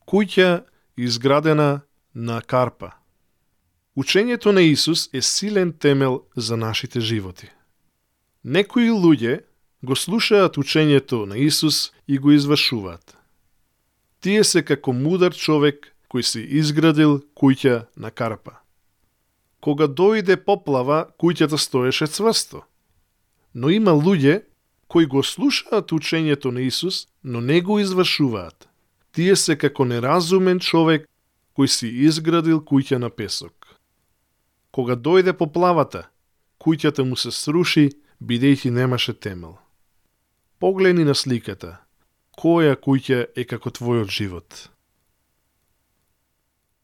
Куќа изградена на карпа. Учењето на Исус е силен темел за нашите животи. Некои луѓе го слушаат учењето на Исус и го извршуваат. Тие се како мудар човек кој си изградил куќа на карпа. Кога дојде поплава, куќата стоеше цврсто. Но има луѓе кои го слушаат учењето на Исус, но не го извршуваат. Тие се како неразумен човек кој си изградил куќа на песок. Кога дојде поплавата, куќата му се сруши, бидејќи немаше темел. Погледни на сликата. Која куќа е како твојот живот?